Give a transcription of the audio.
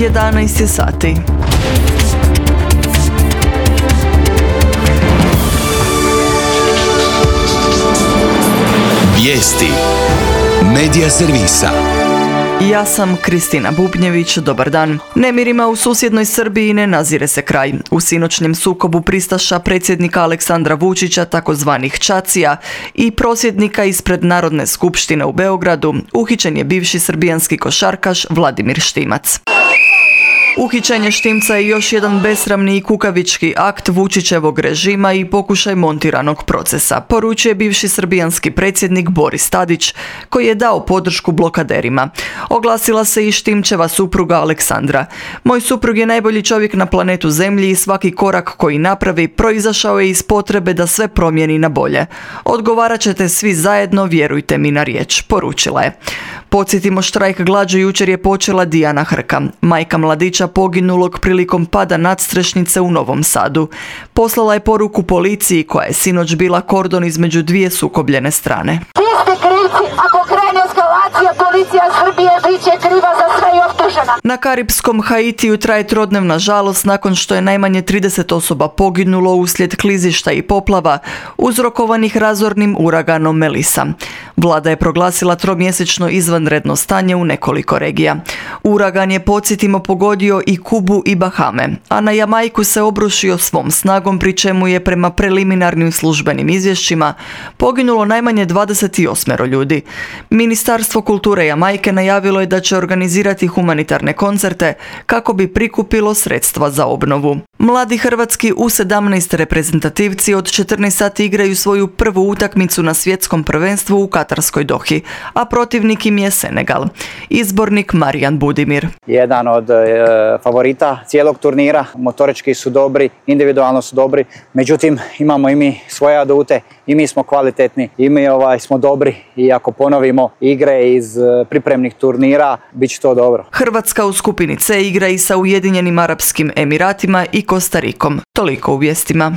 11 je sati. Vijesti Medija servisa. Ja sam Kristina Bubnjević, dobar dan. Nemirima u susjednoj Srbiji ne nazire se kraj. U sinoćnjem sukobu pristaša predsjednika Aleksandra Vučića, takozvanih Čacija, i prosvjednika ispred Narodne skupštine u Beogradu, uhićen je bivši srbijanski košarkaš Vladimir Štimac. Uhićenje Štimca je još jedan besramni i kukavički akt Vučićevog režima i pokušaj montiranog procesa, poručuje bivši srbijanski predsjednik Boris Tadić, koji je dao podršku blokaderima. Oglasila se i Štimčeva supruga Aleksandra. Moj suprug je najbolji čovjek na planetu Zemlji i svaki korak koji napravi proizašao je iz potrebe da sve promijeni na bolje. Odgovarat ćete svi zajedno, vjerujte mi na riječ, poručila je. Podsjetimo, štrajk glađu jučer je počela Dijana Hrka, majka mladića poginulog prilikom pada nadstrešnice u Novom Sadu. Poslala je poruku policiji koja je sinoć bila kordon između dvije sukobljene strane. Vi ste krivci, ako krene eskalacija, policija Srbije bit će kriva za sve i optužena. Na karipskom Haitiju traje trodnevna žalost nakon što je najmanje 30 osoba poginulo uslijed klizišta i poplava uzrokovanih razornim uraganom Melissa. Vlada je proglasila tromjesečno izvanredno stanje u nekoliko regija. Uragan je, podsjetimo, pogodio i Kubu i Bahame, a na Jamajku se obrušio svom snagom, pri čemu je prema preliminarnim službenim izvješćima poginulo najmanje 28 ljudi. Ministarstvo kulture Jamajke najavilo je da će organizirati humanitarne koncerte kako bi prikupilo sredstva za obnovu. Mladi hrvatski U17 reprezentativci od 14 sati igraju svoju prvu utakmicu na svjetskom prvenstvu u Katarskoj Dohi, a protivnik im je Senegal. Izbornik Marijan Budimir. Jedan od favorita cijelog turnira, motorički su dobri, individualno su dobri, međutim imamo i mi svoje adute, i mi smo kvalitetni, i mi smo dobri i ako ponovimo igre iz pripremnih turnira, bit će to dobro. Hrvatska u skupini C igra i sa Ujedinjenim Arapskim Emiratima i Kostarikom. Toliko u vijestima.